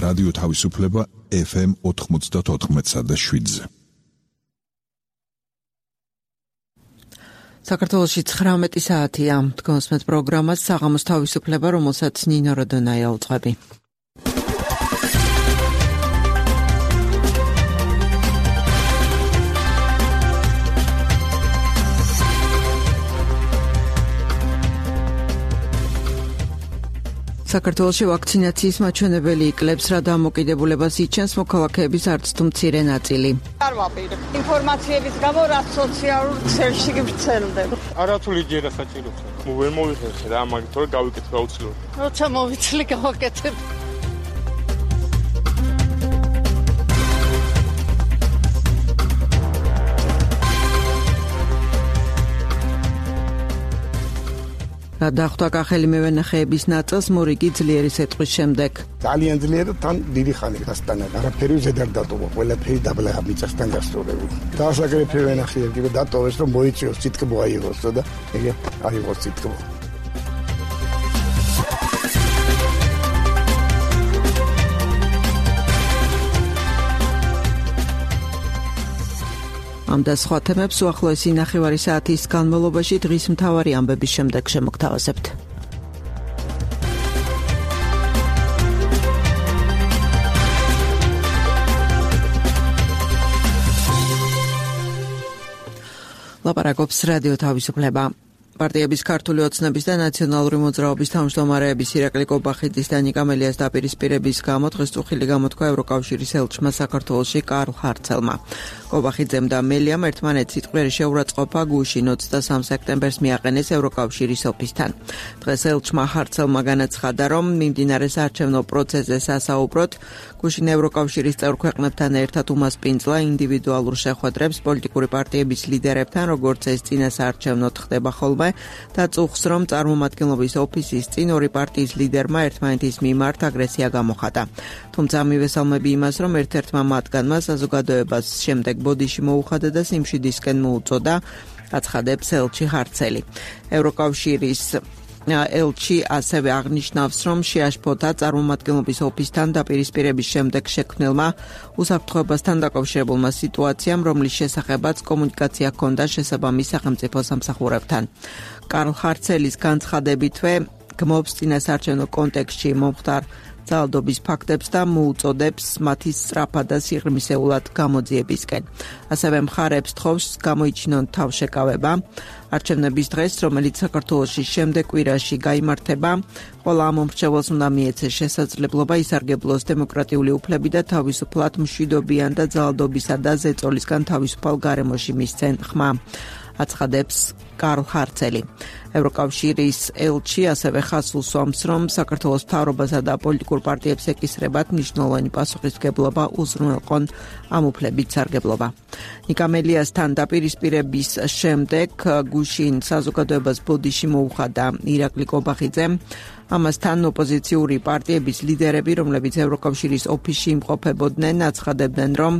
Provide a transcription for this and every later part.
რადიო თავისუფლება FM 94.7-ზე. საქართველოში 19 საათია. თქვენს პროგრამას საღამოს თავისუფლება, რომელსაც ნინო როდონაია უძღვები. საქართველოში ვაქცინაციის მაჩვენებელი იკლებს, რა დამოკიდებულებას იჩენს მოქალაქეების არც თუ მცირე ნაწილი. არ ვაპირებ. ინფორმაციების გამო რა სოციალურ ქსელში გვრცელდება. არათული ჯერა საჭიროა. ვერ მოვიხერხე რა, მაგით თორე გავიკეთე გაუცილებლად. როცა მოვიცლი გავაკეთებ. რა დახვდა კახელი მევენახეების ნაწილს მორიგი ძლიერი სეტყვის შემდეგ. ძალიან ძლიერი თან დიდი ხანი გასტანა. არაფერი ზედარ დატოვა, ყველაფერი დაბლა მიწასთან გასწორებული. დაასაკრეფე ვენახეები და დატოვეს რომ მოიწიოს სიტკბო აიღოს და ეგ აიღოს სიტკბო. ამ და სხვა თემებს უახლოესი ნახევარი საათის განმავლობაში დღის მთავარი ამბების შემდეგ შემოგთავაზებთ. ლაპარაკობს რადიო თავისუფლება. პარტიების ქართული ოცნების და ნაციონალური მოძრაობის თავმჯდომარეების ირაკლი კობახიძის და ნიკა მელიას დაპირისპირების გამო დღეს წუხილი გამოთქვა ევროკავშირის ელჩმა საქართველოში კარლ ჰარცელმა. კობახიძემ და მელიამ ერთმანეთს სიტყვიერი შეურაცხყოფა გუშინ 23 სექტემბერს მიაყენეს ევროკავშირის ოფისთან. დღეს ელჩმა ჰარცელმა განაცხადა, რომ მიმდინარე საარჩევნო პროცესზე სასაუბროდ გუშინ ევროკავშირის წევრ ქვეყნებთან ერთად უმასპინძლა ინდივიდუალურ შეხვედრებს პოლიტიკური პარტიების ლიდერებთან, როგორც ეს წინა საარჩევნოდ ხდება ხოლმე, და წუხს, რომ წარმომადგენლობის ოფისის წინ ორი პარტიის ლიდერმა ერთმანეთის მიმართ აგრესია გამოხატა. თუმცა მივესალმები იმას, რომ ერთ-ერთმა მათგანმა საზოგადოებას შემდეგ ბოდიში მოუხადა და სიმშვიდისკენ მოუწოდა, აცხადებს ელჩი ჰარცელი. ევროკავშირის ელჩი ასევე აღნიშნავს, რომ შეაშფოთა წარმომადგენლობის ოფისთან დაპირისპირების შემდეგ შექმნილმა უსაფრთხოებასთან დაკავშირებულმა სიტუაციამ, რომლის შესახებაც კომუნიკაცია ჰქონდა შესაბამის სახელმწიფო სამსახურებთან. კარლ ჰარცელის განცხადებითვე გმობს წინასაარჩევნო კონტექსტში მომხდარ ძალადობის ფაქტებს და მოუწოდებს მათი სწრაფად და სიღრმისეულად გამოძიებისკენ. ასევე მხარებს თხოვს გამოიჩინონ თავშეკავება არჩევნების დღეს, რომელიც საქართველოში შემდეგ კვირაში გაიმართება. ყველა ამომრჩეველს უნდა მიეცეს შესაძლებლობა ისარგებლოს დემოკრატიული უფლები და თავისუფლად მშვიდობიან და ძალადობისა და ზეწოლისგან თავისუფალ გარემოში მისცენ ხმა, აცხადებს კარლ ჰარცელი. ევროკავშირის ელჩი ასევე ხაზს უსვამს, რომ საქართველოს მთავრობასა და პოლიტიკურ პარტიებს ეკისრებათ მნიშვნელოვანი პასუხისმგებლობა უზრუნველყონ ამ უფლებით სარგებლობა. ნიკა მელიასთან დაპირისპირების შემდეგ გუშინ საზოგადოებას ბოდიში მოუხადა ირაკლი კობახიძემ. ამასთან ოპოზიციური პარტიების ლიდერები, რომლებიც ევროკავშირის ოფისში იმყოფებოდნენ, აცხადებდნენ, რომ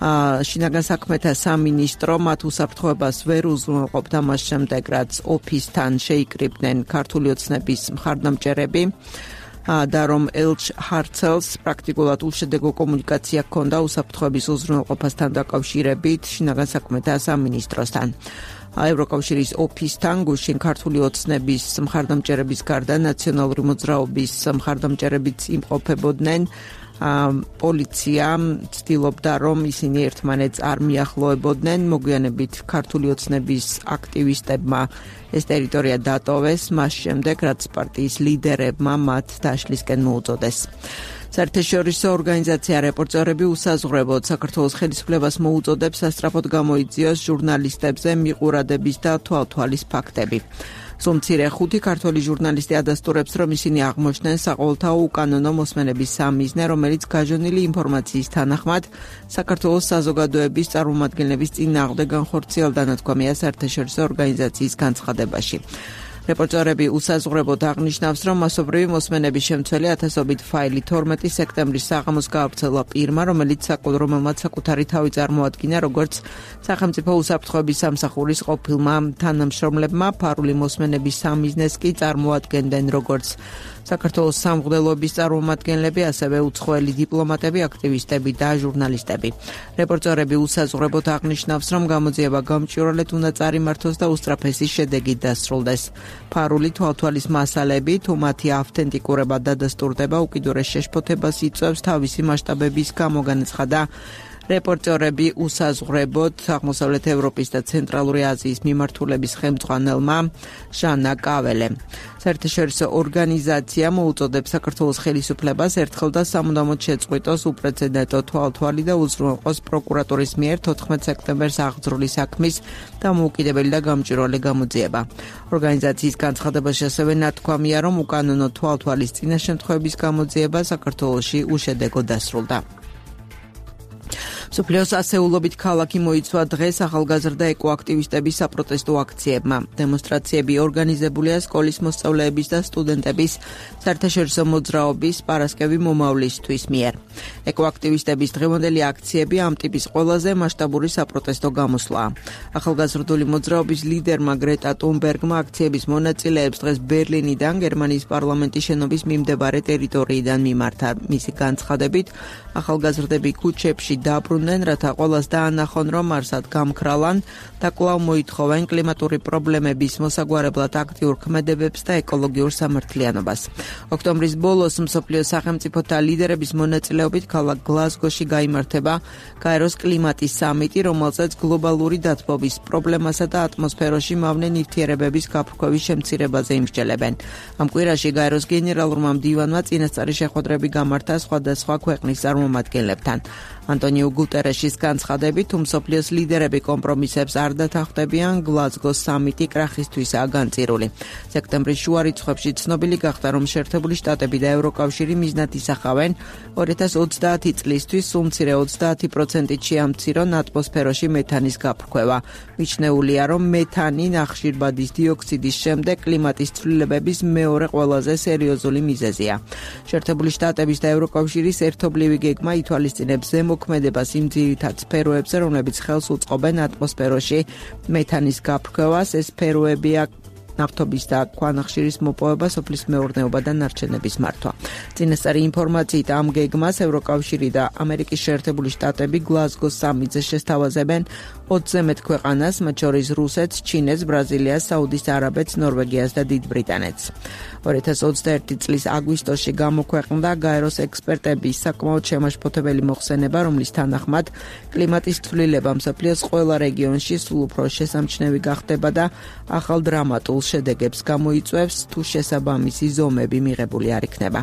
შინაგან საქმეთა სამინისტრო მათ უსაფრთხოებას ვერ უზრუნველყოფდა მას შემდეგ, რაც ოფისთან შეიკრიბნენ ქართული ოცნების მხარდამჭერები და რომ ელჩ ჰარცელს პრაქტიკულად უშედეგო კომუნიკაცია ჰქონდა უსაფრთხოების უზრუნველყოფასთან დაკავშირებით შინაგან საქმეთა სამინისტროსთან. ევროკავშირის ოფისთან გუშინ ქართული ოცნების მხარდამჭერების გარდა ნაციონალური მოძრაობის მხარდამჭერებიც იმყოფებოდნენ. პოლიცია ცდილობდა, რომ ისინი ერთმანეთს არ მიახლოებოდნენ. მოგვიანებით ქართული ოცნების აქტივისტებმა ეს ტერიტორია დატოვეს, მას შემდეგ, რაც პარტიის ლიდერებმა მათ დაშლისკენ მოუწოდეს. საერთაშორისო ორგანიზაცია რეპორტერები უსაზღვრებოდ საქართველოს ხელისუფლებას მოუწოდებს სასწრაფოდ გამოიძიოს ჟურნალისტებზე მიყურადების და თვალთვალის ფაქტები. სულ-მცირე 5 ქართველი ჟურნალისტი ადასტურებს, რომ ისინი აღმოჩნდნენ საყოველთაო უკანონო მოსმენების სამიზნე, რომელიც გაჟონილი ინფორმაციის თანახმად საქართველოს საზოგადოების წარმომადგენლების წინააღმდეგ განხორციელდა, ნათქვამია საერთაშორისო ორგანიზაციის განცხადებაში. რეპორტერები უსაზღვრებოდ აღნიშნავს, რომ მასობრივი მოსმენების შემცველი ათასობით ფაილი 12 სექტემბრის საღამოს გაავრცელა პირმა, რომელმაც საკუთარი თავი წარმოადგინა, როგორც სახელმწიფო უსაფრთხოების სამსახურის ყოფილმა თანამშრომლებმა. ფარული მოსმენების სამიზნეს კი წარმოადგენდნენ როგორც საქართველოს სამღვდელოების წარმომადგენლები, ასევე უცხოელი დიპლომატები, აქტივისტები და ჟურნალისტები. რეპორტერები უსაზღვრებოდ აღნიშნავს, რომ გამოძიება გამჭვირვალედ უნდა წარიმართოს და უსწრაფესი შედეგით დასრულდეს. ფარული თვალთვალის მასალები, თუ მათი ავთენტიკურება დადასტურდება, უკიდურეს შეშფოთებას იწვევს თავისი მასშტაბების გამო, განაცხადა რეპორტერები უსაზღვრებოდ აღმოსავლეთ ევროპის და ცენტრალური აზიის მიმართულების ხელმძღვანელმა ჟანა კაველემ. საერთაშორისო ორგანიზაცია მოუწოდებს საქართველოს ხელისუფლებას ერთხელ და სამუდამოდ შეწყვიტოს უპრეცედენტო თვალთვალი და უზრუნველყოს პროკურატურის მიერ 14 სექტემბერს აღძრული საქმის დამოუკიდებელი და გამჭვირვალე გამოძიება. ორგანიზაციის განცხადებაში ასევე ნათქვამია, რომ უკანონო თვალთვალის წინა შემთხვევების გამოძიება საქართველოში უშედეგოდ დასრულდა. მსოფლიოს ასეულობით ქალაქი მოიცვა დღეს ახალგაზრდა ეკოაქტივისტების საპროტესტო აქციებმა. დემონსტრაციები ორგანიზებულია სკოლის მოსწავლეების და სტუდენტების საერთაშორისო მოძრაობის პარასკევი მომავლისთვის მიერ. ეკოაქტივისტების დღევანდელი აქციები ამ ტიპის ყველაზე მასშტაბური საპროტესტო გამოსვლაა. ახალგაზრდული მოძრაობის ლიდერმა გრეტა თუნბერგმა აქციების მონაწილეებს დღეს ბერლინიდან გერმანიის პარლამენტის შენობის მიმდებარე ტერიტორიიდან მიმართა. მისი განცხადებით, ახალგაზრდები ქუჩებში დაბრუნდნენ, რათა ყველას დაანახონ, რომ არსად გამქრალან და კვლავ მოითხოვენ კლიმატური პრობლემების მოსაგვარებლად აქტიურ ქმედებებს და ეკოლოგიურ სამართლიანობას. ოქტომბრის ბოლოს მსოფლიოს სახელმწიფოთა ლიდერების მონაწილეობით ქალაქ გლაზგოში გაიმართება გაეროს კლიმატის სამიტი, რომელზეც გლობალური დათბობის პრობლემასა და ატმოსფეროში მავნე ნივთიერებების გაფრქვევის შემცირებაზე იმსჯელებენ. ამ კვირაში გაეროს გენერალურმა მდივანმა წინასწარი შეხვედრები გამართა სხვადასხვა ქვეყნის წარმომადგენლებთან. ანტონიო გუტერეშის განცხადებით, თუ მსოფლიოს ლიდერები კომპრომისებს არ დათანხმდებიან, გლაზგოს სამიტი კრახისთვისაა განწირული. სექტემბრის შუა რიცხვებში ცნობილი გახდა, რომ შეერთებული შტატები და ევროკავშირი მიზნად ისახავენ 2030 წლისთვის სულ მცირე 30%-ით შეამცირონ ატმოსფეროში მეთანის გაფრქვევა. მიჩნეულია, რომ მეთანი ნახშირბადის დიოქსიდის შემდეგ კლიმატის ცვლილებების მეორე ყველაზე სერიოზული მიზეზია. შეერთებული შტატების და ევროკავშირის ერთობლივი გეგმა ითვალისწინებს ზემოქმედებას იმ ძირითად სფეროებზე, რომლებიც ხელს უწყობენ ატმოსფეროში მეთანის გაფრქვევას. ეს სფეროებია ნავთობის და ქვანახშირის მოპოვება, სოფლის მეურნეობა და ნარჩენების მართვა. წინასწარი ინფორმაციით ამ გეგმას ევროკავშირი და ამერიკის შეერთებული შტატები გლაზგოს სამიტზე შესთავაზებენ 20-ზე მეტ ქვეყანას, მათ შორის რუსეთს, ჩინეთს, ბრაზილიას, საუდის არაბეთს, ნორვეგიას და დიდ ბრიტანეთს. 2021 წლის აგვისტოში გამოქვეყნდა გაეროს ექსპერტების საკმაოდ შემაშფოთებელი მოხსენება, რომლის თანახმად კლიმატის ცვლილება მსოფლიოს ყველა რეგიონში სულ უფრო შესამჩნევი გახდება და ახალ დრამატულ შედეგებს გამოიწვევს, თუ შესაბამისი ზომები მიღებული არ იქნება.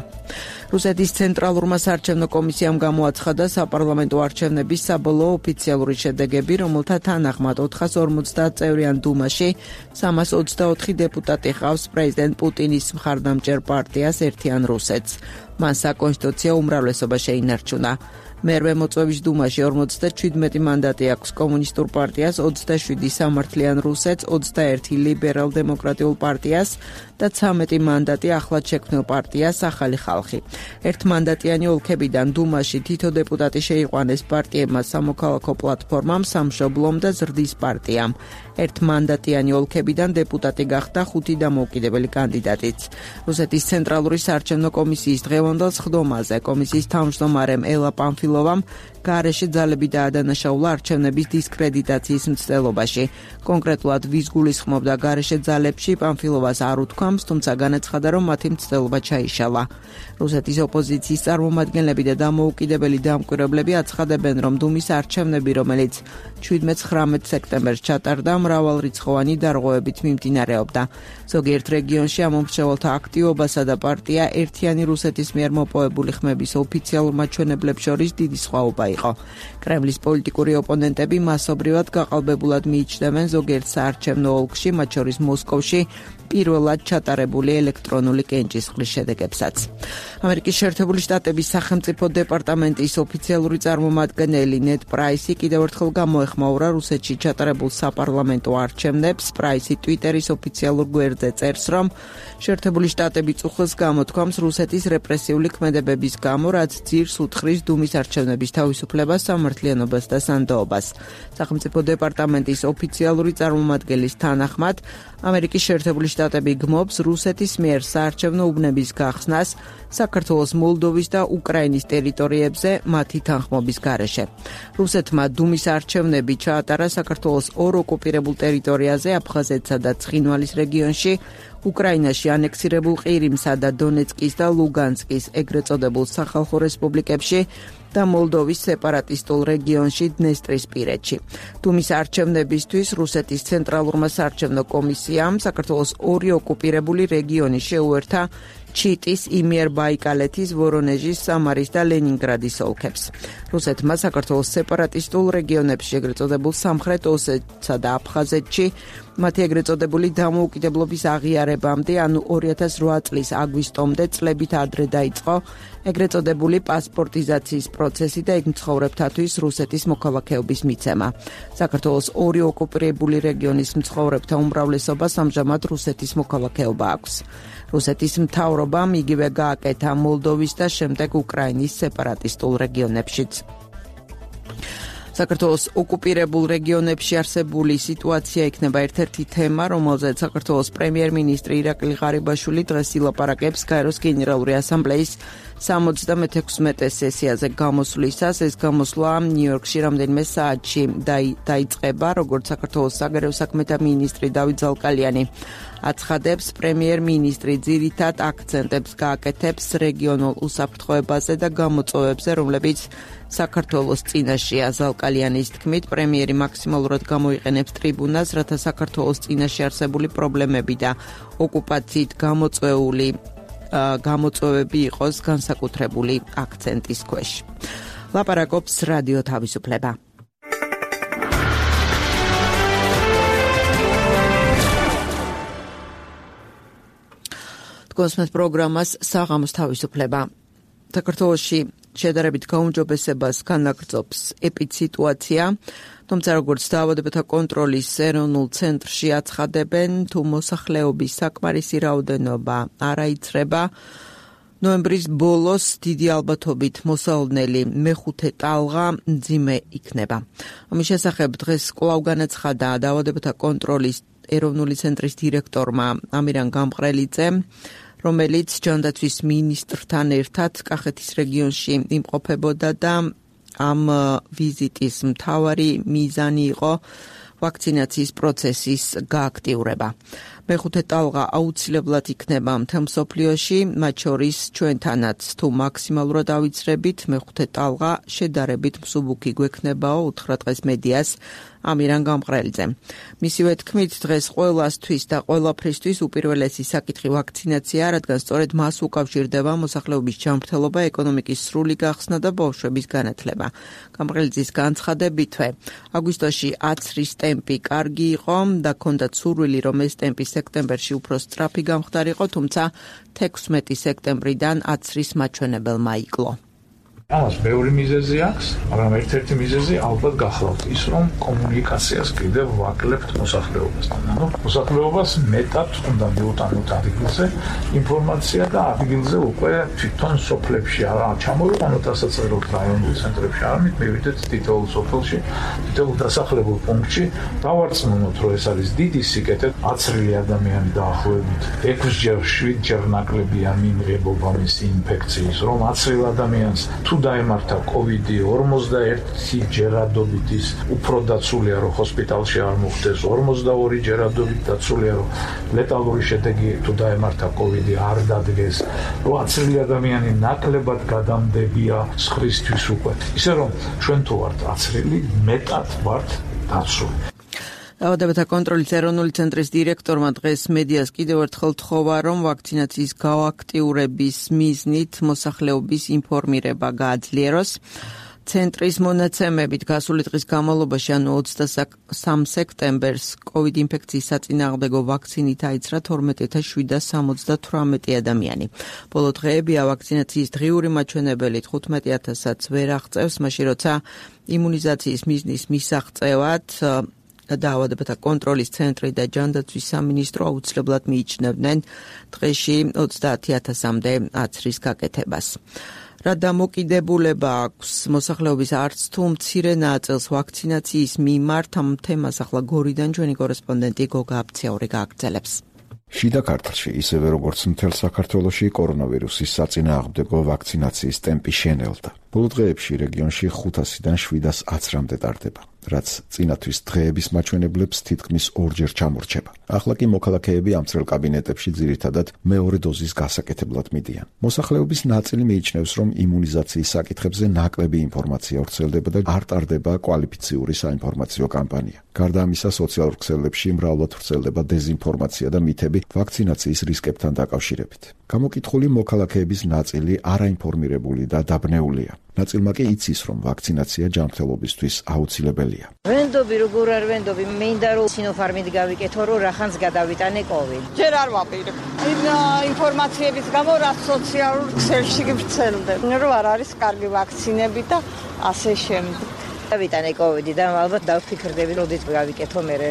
რუსეთის ცენტრალურმა საარჩევნო კომისიამ გამოაცხადა საპარლამენტო არჩევნების საბოლოო ოფიციალური შედეგები, რომელთა თანახმად 450 წევრიან დუმაში 324 დეპუტატი ყავს პრეზიდენტ პუტინის მხარდამჭერ პარტიას ერთიან რუსეთს. მან საკონსტიტუციო უმრავლესობა შეინარჩუნა. მერვე მოწვევის დუმაში 57 მანდატი აქვს კომუნისტურ პარტიას, 27 სამართლიან რუსეთს, 21 ლიბერალ-დემოკრატიულ პარტიას და 13 მანდატი ახლად შექმნილ პარტიას ახალი ხალხი. ერთმანდატიანი ოლქებიდან დუმაში თითო დეპუტატი შეიყვანეს პარტიებმა სამოქალაქო პლატფორმამ, სამშობლომ და ზრდის პარტიამ. ერთმანდატიანი ოლქებიდან დეპუტატი გახდა 5 დამოუკიდებელი კანდიდატიც. რუსეთის ცენტრალური საარჩევნო კომისიის დღევანდელ სხდომაზე კომისიის თავმჯდომარემ ელა პამფილოვამ გარეშე ძალები დაადანაშაულა არჩევნების დისკრედიტაციის მცდელობაში. კონკრეტულად ვის გულისხმობდა გარეშე ძალებში, პამფილოვას არ უთქვამს, თუმცა განაცხადა, რომ მათი მცდელობა ჩაიშალა. რუსეთის ოპოზიციის წარმომადგენლები და დამოუკიდებელი დამკვირვებლები აცხადებენ, რომ დუმის არჩევნები, რომელიც 17-19 სექტემბერს ჩატარდა, მრავალრიცხოვანი დარღვევებით მიმდინარეობდა. ზოგიერთ რეგიონში ამომრჩეველთა აქტივობასა და პარტია ერთიანი რუსეთის მიერ მოპოვებული ხმების ოფიციალურ მაჩვენებლებს შორის დიდი სხვაობა იყო. კრემლის პოლიტიკური ოპონენტები მასობრივად გაყალბებულად მიიჩნევენ ზოგიერთ საარჩევნო ოლქში, მათ შორის მოსკოვში, პირველად ჩატარებული ელექტრონული კენჭისყრის შედეგებსაც. ამერიკის შეერთებული შტატების სახელმწიფო დეპარტამენტის ოფიციალური წარმომადგენელი ნედ პრაისი კიდევ ერთხელ გამოეხმაურა რუსეთში ჩატარებულ საპარლამენტო დეპარტამენტო არჩევნებს. პრაისი ტვიტერის ოფიციალურ გვერდზე წერს, რომ შეერთებული შტატები წუხილს გამოთქვამს რუსეთის რეპრესიული ქმედებების გამო, რაც ძირს უთხრის დუმის არჩევნების თავისუფლებას, სამართლიანობას და სანდოობას. სახელმწიფო დეპარტამენტის ოფიციალური წარმომადგენლის თანახმად, ამერიკის შეერთებული შტატები გმობს რუსეთის მიერ საარჩევნო უბნების გახსნას საქართველოს, მოლდოვის და უკრაინის ტერიტორიებზე მათი თანხმობის გარეშე. რუსეთმა დუმის არჩევნები ჩაატარა საქართველოს ორ ოკუპირებულ ტერიტორიაზე, აფხაზეთსა და ცხინვალის რეგიონში, უკრაინაში ანექსირებულ ყირიმსა და დონეცკის და ლუგანსკის ეგრეთ წოდებულ სახალხო რესპუბლიკებში და მოლდოვის სეპარატისტულ რეგიონში დნესტრისპირეთში. დუმის არჩევნებისთვის რუსეთის ცენტრალურმა საარჩევნო კომისიამ საქართველოს ორი ოკუპირებული რეგიონი შეუერთა ჩიტის, იმიერბაიკალეთის, ვორონეჟის, სამარის და ლენინგრადის ოლქებს. რუსეთმა საქართველოს სეპარატისტულ რეგიონებში, ეგრეთ წოდებულ სამხრეთ ოსეთსა და აფხაზეთში, მათი ეგრეთ წოდებული დამოუკიდებლობის აღიარებამდე, ანუ 2008 წლის აგვისტომდე წლებით ადრე დაიწყო ეგრეთ წოდებული პასპორტიზაციის პროცესი და იქ მცხოვრებთათვის რუსეთის მოქალაქეობის მიცემა. საქართველოს ორი ოკუპირებული რეგიონის მცხოვრებთა უმრავლესობას ამჟამად რუსეთის მოქალაქეობა აქვს. რუსეთის მთავრობამ იგივე გააკეთა მოლდოვის და შემდეგ უკრაინის სეპარატისტულ რეგიონებშიც. საქართველოს ოკუპირებულ რეგიონებში არსებული სიტუაცია იქნება ერთ-ერთი თემა, რომელზეც საქართველოს პრემიერ-მინისტრი ირაკლი ღარიბაშვილი დღეს ილაპარაკებს გაეროს გენერალური ასამბლეის 76 სესიაზე გამოსვლისას. ეს გამოსვლა ნიუ-იორკში რამდენიმე საათში დაიწყება, როგორც საქართველოს საგარეო საქმეთა მინისტრი დავით ზალკალიანი აცხადებს, პრემიერ-მინისტრი ძირითად აქცენტებს გააკეთებს რეგიონულ უსაფრთხოებაზე და გამოწვევებზე, რომლებიც საქართველოს წინაშეა. ზალკალიანის თქმით, პრემიერი მაქსიმალურად გამოიყენებს ტრიბუნას, რათა საქართველოს წინაშე არსებული პრობლემები და ოკუპაციით გამოწვევები იყოს განსაკუთრებული აქცენტის ქვეშ. ლაპარაკობს რადიო თავისუფლება. გოსმეთ პროგრამას საღამოს თავისუფლება. საქართველოში შედარებით გაუმჯობესებას განაგრძობს ეპიდსიტუაცია, თუმცა როგორც დაავადებათა კონტროლის ეროვნულ ცენტრში აცხადებენ, თუ მოსახლეობის საკმარისი რაოდენობა არ აიცრება, ნოემბრის ბოლოს დიდი ალბათობით მოსალოდნელი მეხუთე ტალღა მძიმე იქნება. ამის შესახებ დღეს კვლავ განაცხადა დაავადებათა კონტროლის ეროვნული ცენტრის დირექტორმა ამირან გამყრელიძემ, რომელიც ჯანდაცვის მინისტრთან ერთად კახეთის რეგიონში იმყოფებოდა და ამ ვიზიტის მთავარი მიზანი იყო ვაქცინაციის პროცესის გააქტიურება. მეხუთე ტალღა აუცილებლად იქნება მთელ მსოფლიოში, მათ შორის ჩვენთანაც, თუ მაქსიმალურად ავიცრებით, მეხუთე ტალღა შედარებით მსუბუქი გვექნებაო, უთხრა დღეს მედიას ამირან გამყრელიძემ. მისივე თქმით, დღეს ყველასთვის და ყველაფრისთვის უპირველესი საკითხი ვაქცინაცია, რადგან სწორედ მას უკავშირდება მოსახლეობის ჯანმრთელობა, ეკონომიკის სრული გახსნა და ბავშვების განათლება. გამყრელიძის განცხადებითვე, აგვისტოში აცრის ტემპი კარგი იყო და ჰქონდათ სურვილი, რომ ეს ტემპი სექტემბერში უფრო სწრაფი გამხდარიყო, თუმცა 16 სექტემბრიდან აცრის მაჩვენებელმა იკლო. ამას ბევრი მიზეზი აქვს, მაგრამ ერთ-ერთი მიზეზი ალბათ გახლავთ ის, რომ კომუნიკაციას კიდევ ვაკლებთ მოსახლეობასთან. მოსახლეობას მეტად უნდა მიუტანოთ ადგილზე ინფორმაცია და ადგილზე უკვე თვითონ სოფლებში არა ჩამოვიყენოთ, რასაც წეროთ რაიონულ ცენტრებში, არამედ მივიდეთ თითოეულ სოფელში, თითოეულ დასახლებულ პუნქტში, დავარწმუნოთ, რომ ეს არის დიდი სიკეთე, აცრილი ადამიანი დაახლოებით 6-ჯერ, 7-ჯერ ნაკლებია მიმღებობა მისი ინფექციის, რომ აცრილ ადამიანს თუ დაემართა COVID 41 ჯერადობით ის უფრო დაცულია, რომ ჰოსპიტალში არ მოხვდეს, 42 ჯერადობით დაცულია, რომ ლეტალური შედეგი თუ დაემართა COVID არ დადგეს, რომ აცრილი ადამიანი ნაკლებად გადამდებია სხვისთვის უკვე. ისე რომ ჩვენ თუ ვართ აცრილი, მეტად ვართ დაცული. დაავადებათა კონტროლის ეროვნული ცენტრის დირექტორმა დღეს მედიას კიდევ ერთხელ თხოვა, რომ ვაქცინაციის გააქტიურების მიზნით მოსახლეობის ინფორმირება გააძლიეროს. ცენტრის მონაცემებით გასული დღის განმავლობაში, ანუ 23 სექტემბერს, COVID ინფექციის საწინააღმდეგო ვაქცინით აიცრა 12778 ადამიანი. ბოლო დღეებია ვაქცინაციის დღიური მაჩვენებელი 15,000-ს ვერ აღწევს, მაშინ როცა იმუნიზაციის მიზნის მისაღწევად დაავადებათა კონტროლის ცენტრი და ჯანდაცვის სამინისტრო აუცილებლად მიიჩნევდნენ დღეში 30,000-მდე აცრის გაკეთებას. რა დამოკიდებულება აქვს მოსახლეობის არც თუ მცირე ნაწილს ვაქცინაციის მიმართ, ამ თემას ახლა გორიდან ჩვენი კორესპონდენტი გოგა აბციური გააგრძელებს. შიდა ქართლში, ისევე როგორც მთელ საქართველოში, კორონავირუსის საწინააღმდეგო ვაქცინაციის ტემპი შენელდა. ბოლო დღეებში რეგიონში 500-დან 710-მდე ტარდება, რაც წინათვის დღეების მაჩვენებლებს თითქმის ორჯერ ჩამორჩება. ახლა კი მოქალაქეები ამ წრელ კაბინეტებში ძირითადად მეორე დოზის გასაკეთებლად მიდიან. მოსახლეობის ნაწილი მიიჩნევს, რომ იმუნიზაციის საკითხებზე ნაკლები ინფორმაცია ვრცელდება და არ ტარდება კვალიფიციური საინფორმაციო კამპანია. გარდა ამისა, სოციალურ ქსელებში მრავლად ვრცელდება დეზინფორმაცია და მითები ვაქცინაციის რისკებთან დაკავშირებით. გამოკითხული მოქალაქეების ნაწილი არაინფორმირებული და დაბნეულია. ნაწილმა კი იცის, რომ ვაქცინაცია ჯანმრთელობისთვის აუცილებელია. ვენდობი როგორ არ ვენდობი, მინდა რომ სინოფარმით გავიკეთო, რომ რახანს გადავიტანე კოვიდ. ჯერ არ ვაპირებ. ინფორმაციების გამო რა სოციალურ ქსელში გვრცელდება, რომ არ არის კარგი ვაქცინები და ასე შემდეგ. დავიტანე კოვიდი და ალბათ დავფიქრდები, როდესაც გავიკეთო მერე.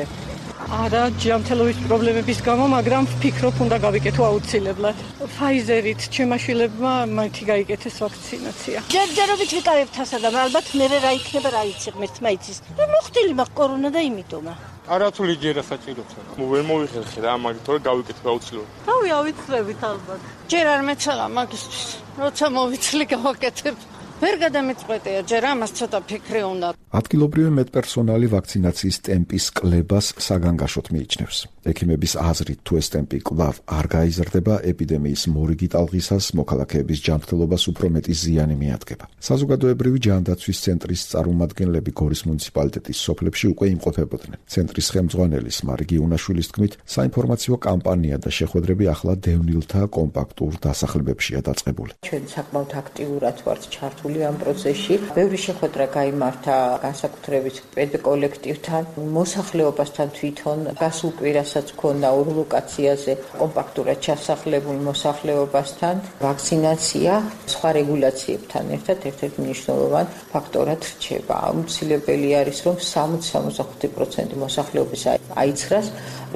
არა, ჯანმრთელობის პრობლემების გამო, მაგრამ ვფიქრობ, უნდა გავიკეთო აუცილებლად. ფაიზერით ჩემაშვილებმა მათი გაიკეთეს ვაქცინაცია. ჯერჯერობით ვიკავებ თასა და ალბათ მერე რა იქნება, რა იცი, ღმერთმა იცის. და მოხდილი მაქვს კორონა და იმიტომა. არათული ჯერა საჭიროა. ვერ მოვიხერხე რა, მაგითო რომ გავიკეთე აუცილებლად. თავი ავიცლებით ალბათ. ჯერ არ მეცალა მაგისთვის. როცა მოვიცლი გავაკეთებ. ვერ გადამეწყვეტია, ჯერ ამას ცოტა ფიქრი უნდა. ადგილობრივი მედპერსონალი ვაქცინაციის ტემპის კლებას საგანგაშოდ მიიჩნევს. ექიმების აზრით, თუ ეს ტემპი კვლავ არ გაიზრდება, ეპიდემიის მორიგი ტალღისას მოქალაქეების ჯანმრთელობას უფრო მეტი ზიანი მიადგება. საზოგადოებრივი ჯანდაცვის ცენტრის წარმომადგენლები გორის მუნიციპალიტეტის სოფლებში უკვე იმყოფებოდნენ. ცენტრის ხელმძღვანელის მარგი უნაშვილის თქმით, საინფორმაციო კამპანია და შეხვედრები ახლა დევნილთა კომპაქტურ დასახლებებშია დაწყებული. ჩვენ საკმაოდ აქტიურად ვართ ჩართული ამ პროცესში. ბევრი შეხვედრა გაიმართა განსაკუთრებით პედკოლექტივთან, მოსახლეობასთან თვითონ, გასულ კვირასაც ქონდა ორ ლოკაციაზე კომპაქტურად ჩასახლებულ მოსახლეობასთან. ვაქცინაცია სხვა რეგულაციებთან ერთად ერთ-ერთი მნიშვნელოვანი ფაქტორად რჩება. აუცილებელი არის, რომ 60-65% მოსახლეობის აიცხრას,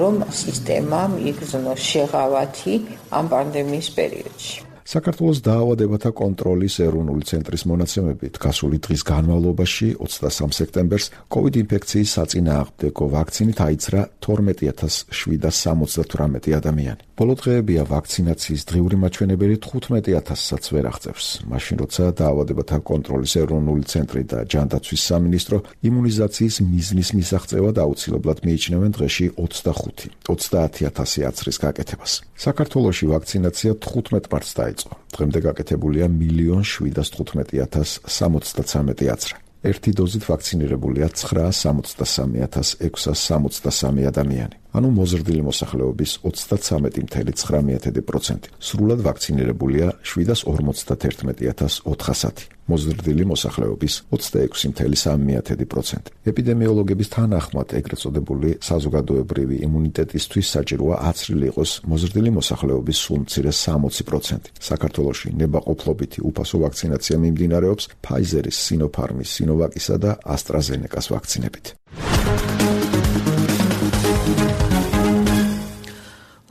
რომ სისტემა მიიგრძნოს შეღავათი ამ პანდემიის პერიოდში. საქართველოს დაავადებათა კონტროლის ეროვნული ცენტრის მონაცემებით გასული დღის განმავლობაში 23 სექტემბერს COVID ინფექციის საწინააღმდეგო ვაქცინით აიცრა 12,778 ადამიანი. ბოლო დღეებია ვაქცინაციის დღიური მაჩვენებელი 15,000-საც ვერ აღწევს. მაშინ როცა დაავადებათა კონტროლის ეროვნული ცენტრი და ჯანდაცვის სამინისტრო იმუნიზაციის მიზნის მისაღწევად აუცილებლად მიიჩნევენ დღეში 30,000 აცრის გაკეთებას. საქართველოში ვაქცინაცია 15 მარტს დაიწყო. დღემდე გაკეთებულია 1,715,073 აცრა. ერთი დოზით ვაქცინირებულია 963,663 ადამიანი. ანუ მოზრდილი მოსახლეობის 33.9%. სრულად ვაქცინირებულია 751,400. მოზრდილი მოსახლეობის 26.3%. ეპიდემიოლოგების თანახმად ეგრეთ წოდებული საზოგადოებრივი იმუნიტეტისთვის საჭიროა აცრილი იყოს მოზრდილი მოსახლეობის სულ მცირე 60%. საქართველოში ნებაყოფლობითი უფასო ვაქცინაცია მიმდინარეობს ფაიზერის, სინოფარმის, სინოვაკისა და ასტრაზენეკას ვაქცინებით.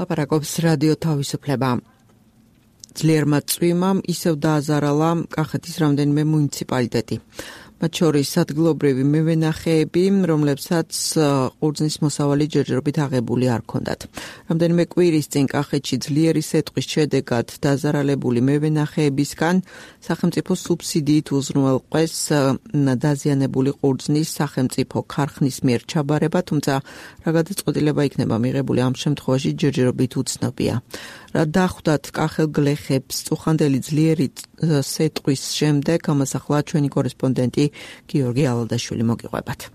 ლაპარაკობს რადიო თავისუფლება. ძლიერმა წვიმამ ისევ დააზარალა კახეთის რამდენიმე მუნიციპალიტეტი. მათ შორის ადგილობრივი მევენახეები, რომლებსაც ყურძნის მოსავალი ჯერჯერობით აღებული არ ჰქონდათ. რამდენიმე კვირის წინ კახეთში ძლიერი სეტყვის შედეგად დაზარალებული მევენახეებისგან სახელმწიფო სუბსიდიით უზრუნველყვეს დაზიანებული ყურძნის სახელმწიფო ქარხნის მიერ ჩაბარება, თუმცა რა გადაწყვეტილება იქნება მიღებული ამ შემთხვევაში ჯერჯერობით უცნობია. რა დახვდათ კახელ გლეხებს წუხანდელი ძლიერი სეტყვის შემდეგ, ამას ახლა ჩვენი კორესპონდენტი გიორგი ალადაშვილი მოგიყვებათ.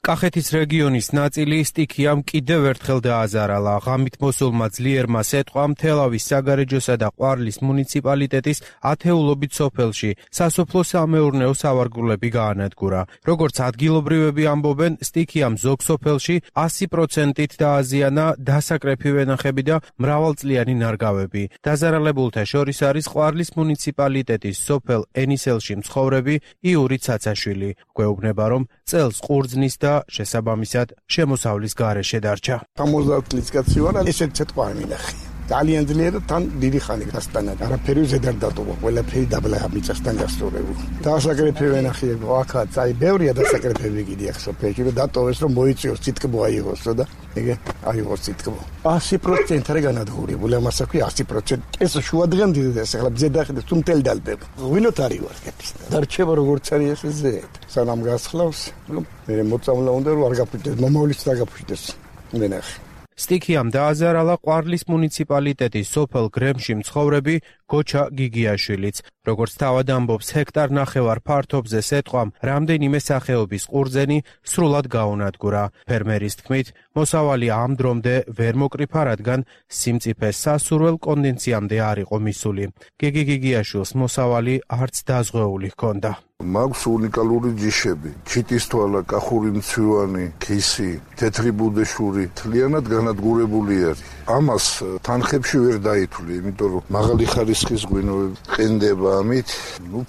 კახეთის რეგიონის ნაწილი სტიქიამ კიდევ ერთხელ დააზარალა. ღამით მოსულმა ძლიერმა სეტყვამ თელავის საგარეჯოსა და ყვარლის მუნიციპალიტეტის ათეულობით სოფელში სასოფლო-სამეურნეო სავარგულები გაანადგურა. როგორც ადგილობრივები ამბობენ, სტიქიამ ზოგ სოფელში 100%-ით დააზიანა დასაკრეფი ვენახები და მრავალწლიანი ნარგავები. დაზარალებულთა შორის არის ყვარლის მუნიციპალიტეტის სოფელ ენისელში მცხოვრები იური ცაცაშვილი. გვეუბნება, რომ წელს ყურძნის და და შესაბამისად შემოსავლის გარეშე დარჩა. 70 წლის კაცი ვარ, ესეც ცოტა მინახი. ძალიან ძლიერად თან დიდი ხანი გასტანა. არაფერი ზედარ დატოვა, ყველაფერი დაბლა მიწასთან გასწორებული. დასაკრეფე ვენახიებო, აქაც აი ბევრია დასაკრეფები კიდე ახ სოფელში და დატოვეს რომ მოიწიოს ციტკბო აიღოსო და ეგ აიღოს ციტკბო. 100% რა განადგურებული, ამას აქვი 100%. ეს შუადღან დიდეს, ახლა ზედახედე თუ მთელი დალბება. ვილოთ არის ვარ კეთს. დარჩება როგორც არის ეს ზედ. სანამ გასხლავს, მე მოწამლა უნდა რომ არ გაფუჭდეს, მომავლის და გაფუჭდეს. ვენახი სტიქიამ დააზარალა ყვარლის მუნიციპალიტეტის სოფელ გრემში მცხოვრები გოჩა გიგიაშვილიც. როგორც თავად ამბობს, ჰექტარ ნახევარ ფართობზე სეტყვამ რამდენიმე სახეობის ყურძენი სრულად გაუნადგურა. ფერმერის თქმით, მოსავალი ამ დრომდე ვერ მოკრიფა, რადგან სიმწიფეს სასურველ კონდენციამდე არ იყო მისული. გიგი გიგიაშვილს მოსავალი არც დაზღვეული ჰქონდა. მაქვს უნიკალური ჯიშები, ჩიტისთვალა, კახური მცვივანი, ქისი, თეთრი ბუდეშური, თლიანად განადგურებული არის. ამას თანხებში ვერ დაითვლი, იმიტომ რომ მაღალი ხარისხის ღვინოები ყენდება ამით.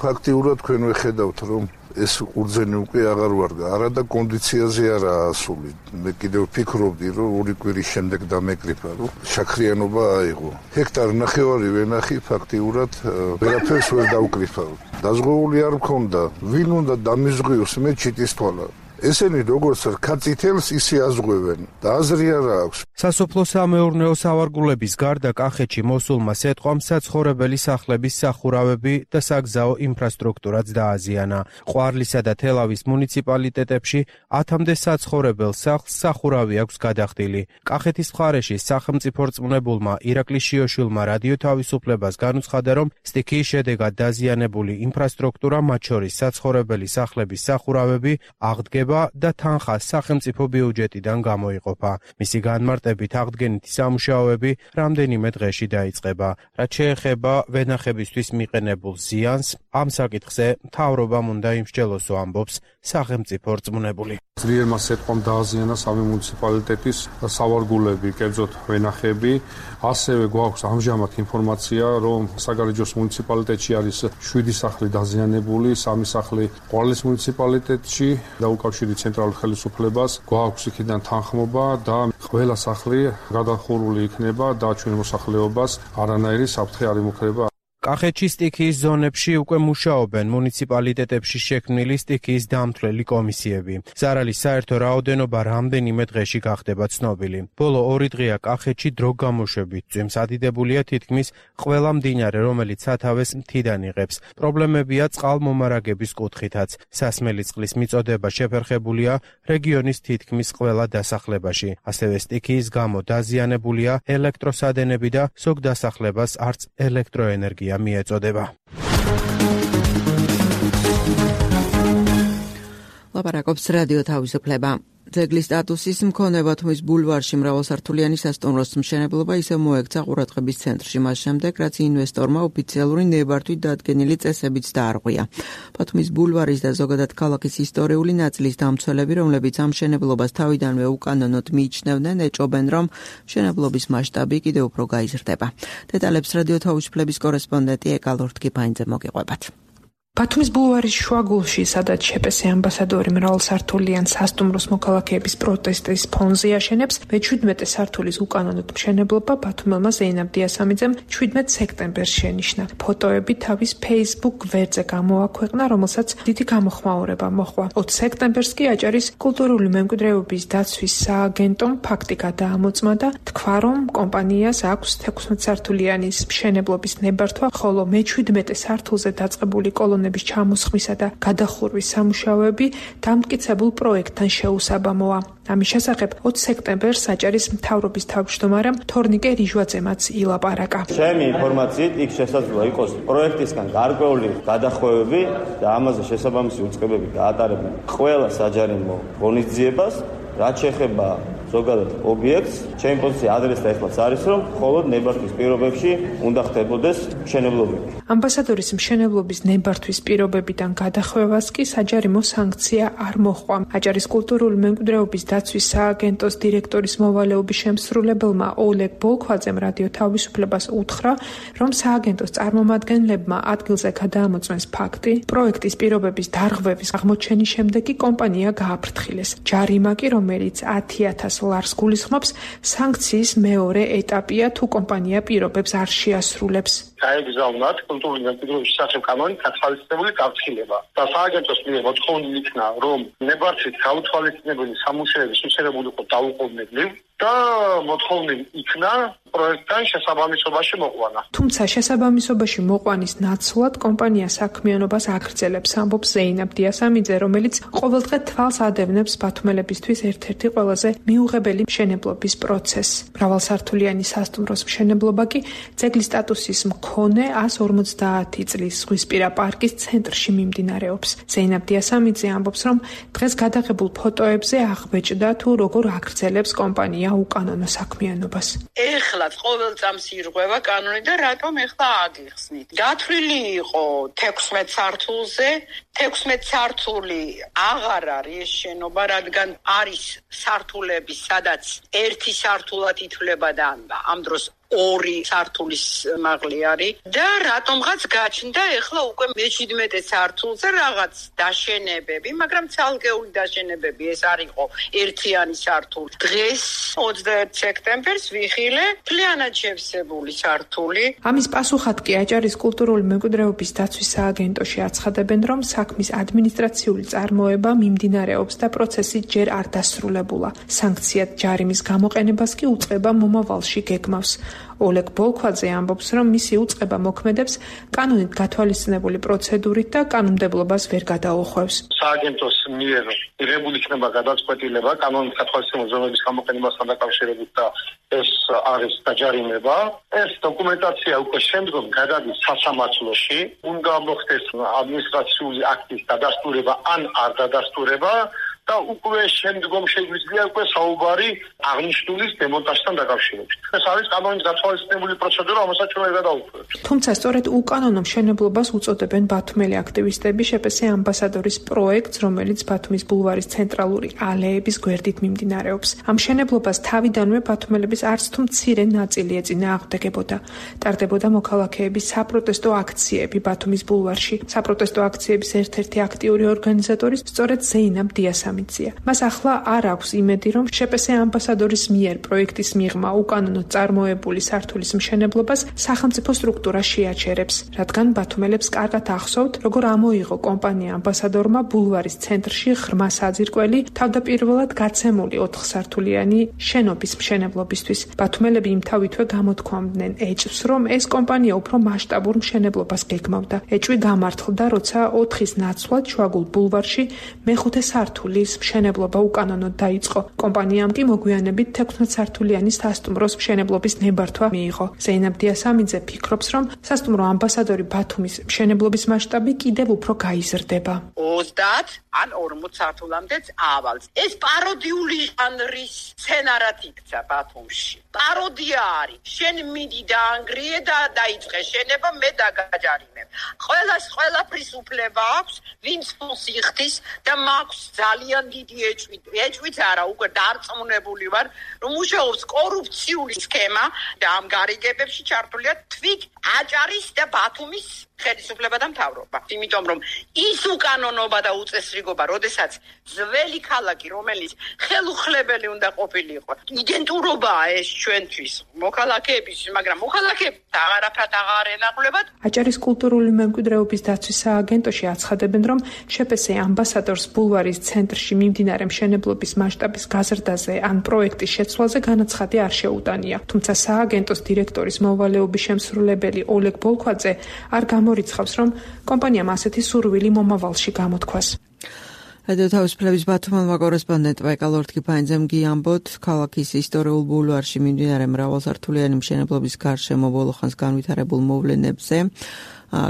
ფაქტიურად თქვენ ვეხედავთ, რომ ეს ყურძენი უკვე აღარ ვარდა, არა და კონდიციაზე არაა ასული. მე კიდევ ვფიქრობდი, რომ 2 კვირის შემდეგ დამეკრიფა, რომ შაქრიანობა აიღო. ჰექტარ ნახევარი ვენახი ფაქტიურად ვერაფერს ვერ დავკრიფა. დაზღვეული არ მქონდა, ვინ უნდა დამიზღვიოს მე ჩიტისთვალა. ესენი როგორც რქაწითელს ისე აზღვევენ და აზრი არ აქვს. სასოფლო-სამეურნეო სავარგულების გარდა კახეთში მოსულმა სეტყვამ საცხოვრებელი სახლების სახურავები და საგზაო ინფრასტრუქტურაც დააზიანა. ყვარლისა და თელავის მუნიციპალიტეტებში 1000-მდე საცხოვრებელ სახლს სახურავი აქვს გადახდილი. კახეთის მხარეში სახელმწიფო რწმუნებულმა ირაკლი შიოშვილმა რადიო თავისუფლებას განუცხადა, რომ სტიქიის შედეგად დაზიანებული ინფრასტრუქტურა, მათ შორის საცხოვრებელი სახლების სახურავები, აღდგება და თანხა სახელმწიფო ბიუჯეტიდან გამოიყოფა. მისი განმარტებით აღდგენითი სამუშაოები რამდენიმე დღეში დაიწყება. რაც შეეხება ვენახებისთვის მიყენებულ ზიანს, ამ საკითხზე მთავრობამ უნდა იმსჯელოსო, ამბობს სახელმწიფო რწმუნებული. ძლიერმა სეტყვამ დააზიანა სამი მუნიციპალიტეტის სავარგულები, კერძოდ ვენახები. ასევე გვაქვს ამჟამად ინფორმაცია, რომ საგარეჯოს მუნიციპალიტეტში არის 7 სახლი დაზიანებული, 3 სახლი ყვარლის მუნიციპალიტეტში და უკავშირი ცენტრალურ ხელისუფლებას. გვაქვს იქიდან თანხმობა და ყველა სახლი გადახურული იქნება და ჩვენ მოსახლეობას არანაირი საფრთხე არ იმუქრება. კახეთში სტიქიის ზონებში უკვე მუშაობენ მუნიციპალიტეტებში შექმნილი სტიქიის დამთვლელი კომისიები. ზარალის საერთო რაოდენობა რამდენიმე დღეში გახდება ცნობილი. ბოლო 2 დღეა კახეთში დრო გამოშვებით წვიმს ადიდებულია თითქმის ყველა მდინარე, რომელიც სათავეს მთიდან იღებს. პრობლემებია წყალმომარაგების კუთხითაც. სასმელი წყლის მიწოდება შეფერხებულია რეგიონის თითქმის ყველა დასახლებაში. ასევე სტიქიის გამო დაზიანებულია ელექტროსადენები და ზოგ დასახლებას არც ელექტროენერგია მიეწოდება. ლაპარაკობს რადიო თავისუფლება. ძეგლის სტატუსის მქონე ბათუმის ბულვარში მრავალსართულიანი სასტუმროს მშენებლობა ისევ მოექცა ყურადღების ცენტრში მას შემდეგ, რაც ინვესტორმა ოფიციალური ნებართვით დადგენილი წესებიც დაარღვია. ბათუმის ბულვარის და ზოგადად ქალაქის ისტორიული ნაწილის დამცველები, რომლებიც ამ მშენებლობას თავიდანვე უკანონოდ მიიჩნევდნენ, ეჭობენ, რომ მშენებლობის მასშტაბი კიდევ უფრო გაიზრდება. დეტალებს რადიო თავისუფლების კორესპონდენტი ეკალორთ კიფაინძე მოგიყვებათ. ბათუმის ბულვარის შუაგულში, სადაც შეპესე ამბასადორი მრავალსართულიან სასტუმროს მოქალაქეების პროტესტის ფონზე აშენებს, მე-17 სართულის უკანონოდ მშენებლობა ბათუმელმა ზეინაბ დიასამიძემ 17 სექტემბერს შენიშნა. ფოტოები თავის Facebook გვერდზე გამოაქვეყნა, რომელსაც დიდი გამოხმაურება მოჰყვა. 20 სექტემბერს კი აჭარის კულტურული მემკვიდრეობის დაცვის სააგენტომ ფაქტი გადაამოწმა და თქვა, რომ კომპანიას აქვს 16 სართულიანი მშენებლობის ნებართვა, ხოლო მე-17 სართულზე დაწყებული კოლონების ჩამოსხმისა და გადახურვის სამუშაოები დამტკიცებულ პროექტთან შეუსაბამოა. ამის შესახებ 20 სექტემბერს აჭარის მთავრობის თავმჯდომარემ თორნიკე რიჟვაძემაც ილაპარაკა. ჩემი ინფორმაციით იქ შესაძლოა იყოს პროექტისგან გარკვეული გადახვევები და ამაზე შესაბამისი უწყებები გაატარებენ ყველა საჯარიმო ღონისძიებას, რაც შეეხება ზოგადად ობიექტს. ჩემი პოზიცია ადრეს და ეხლაც არის, რომ მხოლოდ ნებართვის პირობებში უნდა ხდებოდეს მშენებლობები. ამბასადორის მშენებლობის ნებართვის პირობებიდან გადახვევას კი საჯარიმო სანქცია არ მოჰყვა. აჭარის კულტურული მემკვიდრეობის დაცვის სააგენტოს დირექტორის მოვალეობის შემსრულებელმა ოლეგ ბოლქვაძემ რადიო თავისუფლებას უთხრა, რომ სააგენტოს წარმომადგენლებმა ადგილზე გადაამოწმეს ფაქტი, პროექტის პირობების დარღვევის აღმოჩენის შემდეგ კი კომპანია გააფრთხილეს. ჯარიმა კი, რომელიც 10,000 ლარს გულისხმობს, სანქციის მეორე ეტაპია, თუ კომპანია პირობებს არ შეასრულებს. გაეგზავნათ კულტურული მემკვიდრეობის შესახებ კანონით გათვალისწინებული გაფრთხილება და სააგენტოს მიერ მოთხოვნილი იქნა, რომ ნებართვით გაუთვალისწინებელი სამუშაოების მისაღებულიყო დაუყოვნებლივ და მოთხოვნილი იქნა პროექტთან შესაბამისობაში მოყვანა. თუმცა შესაბამისობაში მოყვანის ნაცვლად კომპანია საქმიანობას აგრძელებს, ამბობს ზეინაბ დიასამიძე, რომელიც ყოველდღე თვალს ადევნებს ბათუმელებისთვის ერთ-ერთი ყველაზე მიუღებელი მშენებლობის პროცესს. მრავალსართულიანი სასტუმროს მშენებლობა კი ძეგლის სტატუსის მქონე 150 წლის ზღვისპირა პარკის ცენტრში მიმდინარეობს. ზეინაბ დიასამიძე ამბობს, რომ დღეს გადაღებულ ფოტოებზე აღბეჭდა თუ როგორ აგრძელებს კომპანია უკანონო საქმიანობას. ეხლა ყოველ წამს ირღვევა კანონი და რატომ ეხლა აგიხსნით? გათვლილი იყო 16 სართულზე, 16 სართული აღარ არის შენობა, რადგან არის სართულები, სადაც ერთი სართულად ითვლება და ამ დროს 2 სართულის მაღალი არის და რატომღაც გაჩნდა ეხლა უკვე მე-17 სართულზე რაღაც დაშენებები, მაგრამ ცალკეული დაშენებები, ეს არისო ერთიანი სართული. დღეს 21 სექტემბერს ვიხილე მთლიანად შევსებული სართული. ამის პასუხად კი აჭარის კულტურული მემკვიდრეობის დაცვის სააგენტოში აცხადებენ, რომ საქმის ადმინისტრაციული წარმოება მიმდინარეობს და პროცესი ჯერ არ დასრულებულა. სანქციად ჯარიმის გამოყენებას კი უწყება მომავალში გეგმავს. ოლეგ ბოლქვაძე ამბობს, რომ მისი უწყება მოქმედებს კანონით გათვალისწინებული პროცედურით და კანონმდებლობას ვერ გადაუხვევს. სააგენტოს მიერ მიღებული იქნება გადაწყვეტილება კანონით გათვალისწინებული ზომების გამოყენებასთან დაკავშირებით და ეს არის დაჯარიმება. ეს დოკუმენტაცია უკვე შემდგომ გადადის სასამართლოში, უნდა მოხდეს ადმინისტრაციული აქტის დადასტურება ან არ დადასტურება. და უკვე შემდგომ შეგვიძლია უკვე საუბარი აღნიშნულის დემონტაჟთან დაკავშირებით. ეს არის კანონით გათვალისწინებული პროცედურა, რომელსაც ჩვენ გადავუხმევთ. თუმცა სწორედ უკანონო მშენებლობას უწოდებენ ბათუმელი აქტივისტები შეპესე ამბასადორის პროექტს, რომელიც ბათუმის ბულვარის ცენტრალური ალეების გვერდით მიმდინარეობს. ამ მშენებლობას თავიდანვე ბათუმელების არც თუ მცირე ნაწილი ეწინააღმდეგებოდა. ტარდებოდა მოქალაქეების საპროტესტო აქციები ბათუმის ბულვარში. საპროტესტო აქციების ერთ-ერთი აქტიური ორგანიზატორი სწორედ ზეინაბ დიასამიძე. მას ახლა არ აქვს იმედი, რომ შეპესე ამბასადორის მიერ პროექტის მიღმა უკანონოდ წარმოებული სართულის მშენებლობას სახელმწიფო სტრუქტურა შეაჩერებს, რადგან ბათუმელებს კარგად ახსოვთ, როგორ ამოიღო კომპანია ამბასადორმა ბულვარის ცენტრში ღრმა საძირკველი თავდაპირველად გაცემული 4 სართულიანი შენობის მშენებლობისთვის. ბათუმელები იმთავითვე გამოთქვამდნენ ეჭვს, რომ ეს კომპანია უფრო მასშტაბურ მშენებლობას გეგმავდა. ეჭვი გამართლდა, როცა 4-ის ნაცვლად შუაგულ ბულვარში მეხუთე სართული მშენებლობა უკანონოდ დაიწყო. კომპანიამ კი მოგვიანებით 16 სართულიანი სასტუმროს მშენებლობის ნებართვა მიიღო. ზეინაბ დიასამიძე ფიქრობს, რომ სასტუმრო ამბასადორი ბათუმის მშენებლობის მასშტაბი კიდევ უფრო გაიზრდება. 30 ან 40 სართულამდეც ავალს. ეს პაროდიული ჟანრის სცენარად იქცა ბათუმში. პაროდია არის. შენ მიდი და ანგრიე და დაიწყე შენება, მე დაგაჯარიმებ. ყველაფრის უფლება აქვს, ვინც ფულს იხდის და მაქვს ძალიან დიდი ეჭვი. ეჭვით არა, უკვე დარწმუნებული ვარ, რომ მუშაობს კორუფციული სქემა და ამ გარიგებებში ჩართულია თვით აჭარის და ბათუმის ხელისუფლება და მთავრობა. იმიტომ რომ ის უკანონობა და უწესრიგობა, როდესაც ძველი ქალაქი, რომელიც ხელუხლებელი უნდა ყოფილიყო, იდენტურობაა ეს ჩვენთვის მოქალაქეების, მაგრამ მოქალაქეებს აღარაფრად აღარ ენახულებათ. აჭარის კულტურული მემკვიდრეობის დაცვის სააგენტოში აცხადებენ, რომ შეპესე ამბასადორს ბულვარის ცენტრში მიმდინარე მშენებლობის მასშტაბის გაზრდაზე ან პროექტის შეცვლაზე განაცხადი არ შეუტანია. თუმცა სააგენტოს დირექტორის მოვალეობის შემსრულებელი ოლეგ ბოლქვაძე არ მორიცხავს, რომ კომპანიამ ასეთი სურვილი მომავალში გამოთქვას. რადიო თავისუფლების ბათუმელმა კორესპონდენტ ბაიკალ ორთქიფანიძემ გიამბოთ, ქალაქის ისტორიულ ბულვარში მიმდინარე მრავალსართულიანი მშენებლობის გარშემო ბოლო ხანს განვითარებულ მოვლენებზე,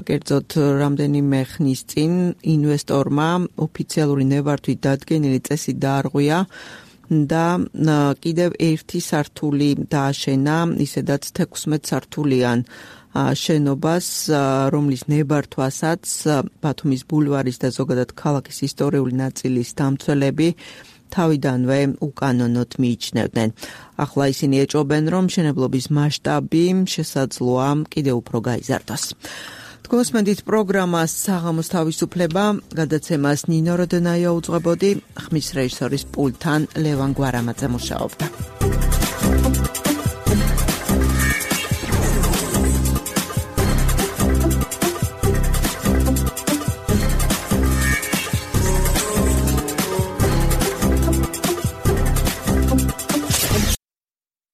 კერძოდ რამდენიმე ხნის წინ ინვესტორმა ოფიციალური ნებართვით დადგენილი წესი დაარღვია და კიდევ ერთი სართული დააშენა, ისედაც 16 სართულიან შენობას, რომლის ნებართვასაც ბათუმის ბულვარის და ზოგადად ქალაქის ისტორიული ნაწილის დამცველები თავიდანვე უკანონოდ მიიჩნევდნენ. ახლა ისინი ეჭობენ, რომ მშენებლობის მასშტაბი შესაძლოა კიდევ უფრო გაიზარდოს. თქვენსმენდით პროგრამას საღამოს თავისუფლება, გადაცემას ნინო როდონაია უძღვებოდი, ხმის რეჟისორის პულტთან ლევან გვარამაძე მუშაობდა.